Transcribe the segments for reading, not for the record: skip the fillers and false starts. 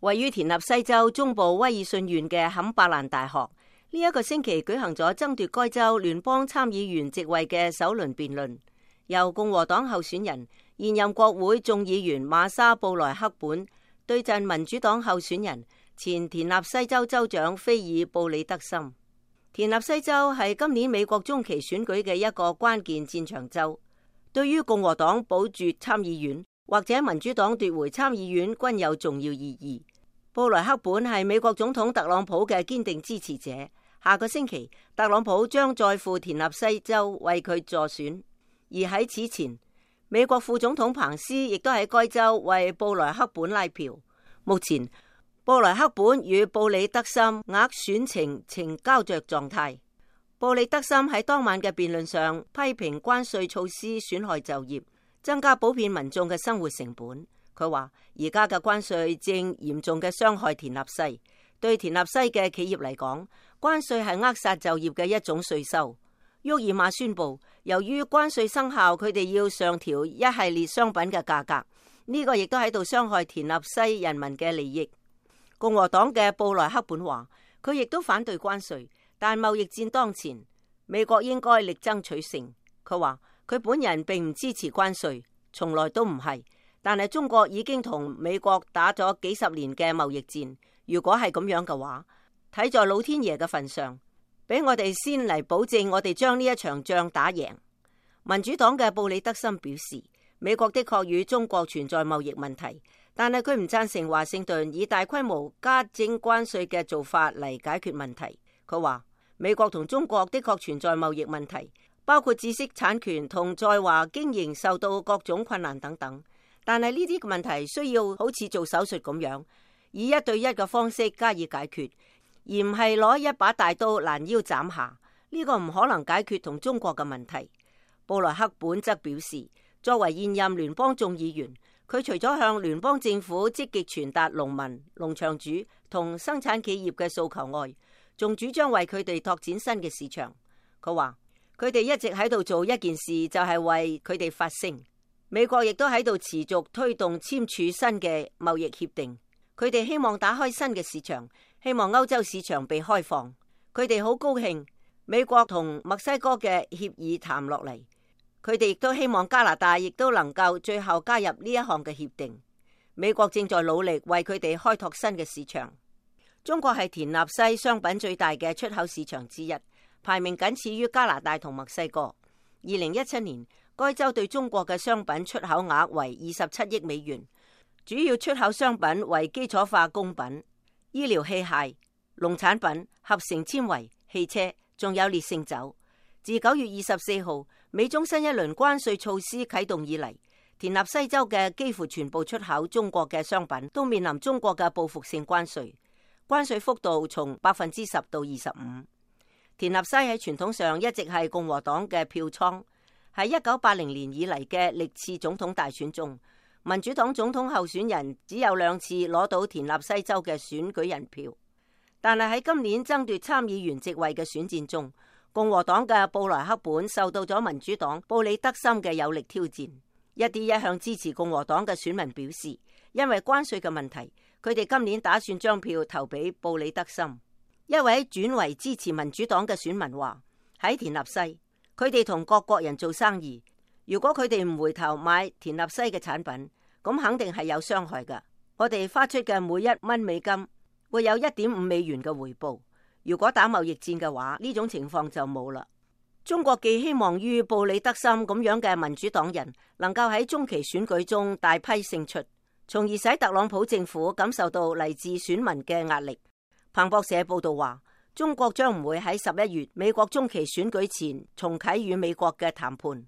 位於田納西州中部威爾遜縣嘅坎伯蘭大學，呢一個星期舉行咗爭奪該州聯邦參議員席位嘅首輪辯論，由共和黨候選人現任國會眾議員瑪莎布萊克本對陣民主黨候選人前田納西州州長菲爾布里德森。田納西州係今年美國中期選舉嘅一個關鍵戰場州，對於共和黨保住參議院或者民主黨奪回參議院均有重要意義。布萊克本係美國總統特朗普嘅堅定支持者，下個星期特朗普將再赴田納西州為佢助選，而喺此前，美國副總統彭斯亦都喺該州為布萊克本拉票。目前布萊克本與布里德森握選情呈膠着狀態。布里德森喺當晚嘅辯論上批評關稅措施損害就業，增加普遍民眾嘅生活成本。佢話而家嘅關稅正嚴重嘅傷害田納西，對田納西嘅企業嚟講，關稅係扼殺就業嘅一種稅收。沃爾瑪宣布，由於關稅生效，佢哋要上調一系列商品嘅價格，呢個亦都喺度傷害田納西人民嘅利益。共和黨嘅布萊克本話，佢亦都反對關稅，但貿易戰當前，美國應該力爭取勝。佢話佢本人並唔支持關稅，從來都唔係，但係中國已經同美國打咗幾十年嘅貿易戰，如果係咁樣嘅話，睇在老天爺嘅份上，俾我哋先嚟保證我哋將呢一場仗打贏。民主黨嘅布里德森表示，美國的確與中國存在貿易問題，但係佢唔贊成華盛頓以大規模加徵關稅嘅做法嚟解決問題。佢話美國同中國的確存在貿易問題，包括知識產權同在華經營受到各種困難等等，但係呢啲問題需要好似做手術咁樣，以一對一嘅方式加以解決，而唔係攞一把大刀攔腰斬下。呢個唔可能解決同中國嘅問題。布萊克本則表示，作為現任聯邦眾議員，佢除咗向聯邦政府積極傳達農民、農場主同生產企業嘅訴求外，仲主張為佢哋拓展新嘅市場。佢話佢哋一直喺度做一件事，就係為佢哋發聲。美國亦都喺度持續推動簽署新嘅貿易協定，佢哋希望打開新嘅市場，希望歐洲市場被開放。佢哋好高興美國同墨西哥嘅協議談落嚟。佢哋亦都希望加拿大亦都能夠最後加入呢一項嘅協定。美國正在努力為佢哋開拓新嘅市場。中國係田納西商品最大嘅出口市場之一，排名僅次於加拿大同墨西哥。2017年，該州對中國嘅商品出口額為27億美元，主要出口商品為基礎化工品、醫療器械、農產品、合成纖維、汽車，仲有烈性酒。自9月24號美中新一輪關稅措施啟動以嚟，田納西州嘅幾乎全部出口中國嘅商品都面臨中國嘅報復性關稅，關稅幅度從10%到25%。田納西喺傳統上一直係共和黨嘅票倉，喺1980年以嚟嘅歷次總統大選中，民主黨總統候選人只有2次攞到田納西州嘅選舉人票，但係喺今年爭奪參議員席位嘅選戰中，共和黨嘅布萊克本受到咗民主黨布里德森嘅有力挑戰。一啲一向支持共和黨嘅選民表示，因為關稅嘅問題，佢哋今年打算將票投俾布里德森。一位轉為支持民主黨嘅選民話，喺田納西，佢哋同各國人做生意，如果佢哋唔回頭買田納西嘅產品，咁肯定係有傷害㗎。我哋花出嘅每1蚊美金會有1.5美元嘅回報。如果打貿易戰嘅話，呢種情況就冇啦。中國寄希望於布里德森咁樣嘅民主黨人能夠喺中期選舉中大批勝出，從而使特朗普政府感受到嚟自選民嘅壓力。彭博社報道話，中國將唔會喺11月美國中期選舉前重啟與美國嘅談判。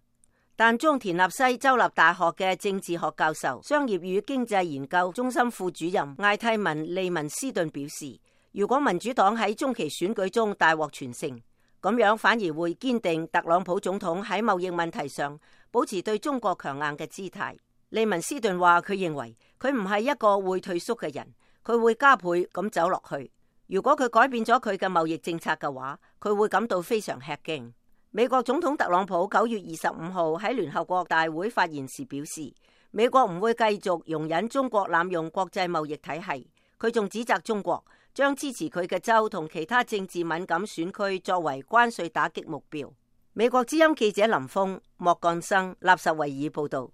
但中田納西州立大學嘅政治學教授、商業與經濟研究中心副主任艾蒂文利文斯頓表示，如果民主黨喺中期選舉中大獲全勝，咁樣反而會堅定特朗普總統喺貿易問題上保持對中國強硬嘅姿態。利文斯頓話，佢認為佢唔係一個會退縮嘅人，佢會加倍咁走落去。如果佢改變咗佢嘅貿易政策嘅話，佢會感到非常吃驚。美國總統特朗普9月25號喺聯合國大會發言時表示，美國唔會繼續容忍中國濫用國際貿易體系。佢仲指責中國將支持佢嘅州同其他政治敏感選區作為關稅打擊目標。美國之音記者林峰、莫幹生、納什維爾報道。